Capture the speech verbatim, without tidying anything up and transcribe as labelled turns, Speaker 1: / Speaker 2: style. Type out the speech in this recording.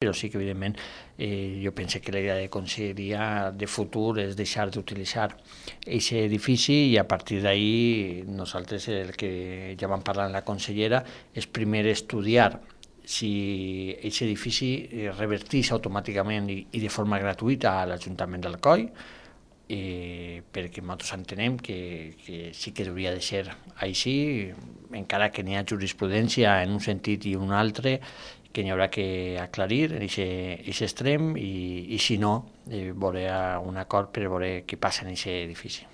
Speaker 1: però sí que, evidentment, eh, jo penso que la idea de conselleria de futur és deixar d'utilitzar aquest edifici i a partir d'ahí nosaltres el que ja vam parlar amb la consellera és primer estudiar si aquest edifici reverteix automàticament i, i de forma gratuïta a l'Ajuntament d'Alcoi, eh, perquè nosaltres entenem que, que sí que hauria de ser així, encara que n'hi ha jurisprudència en un sentit i un altre, que n'hi haurà que aclarir en aquest extrem i, i si no, eh, veuré un acord per veure què passa en aquest edifici.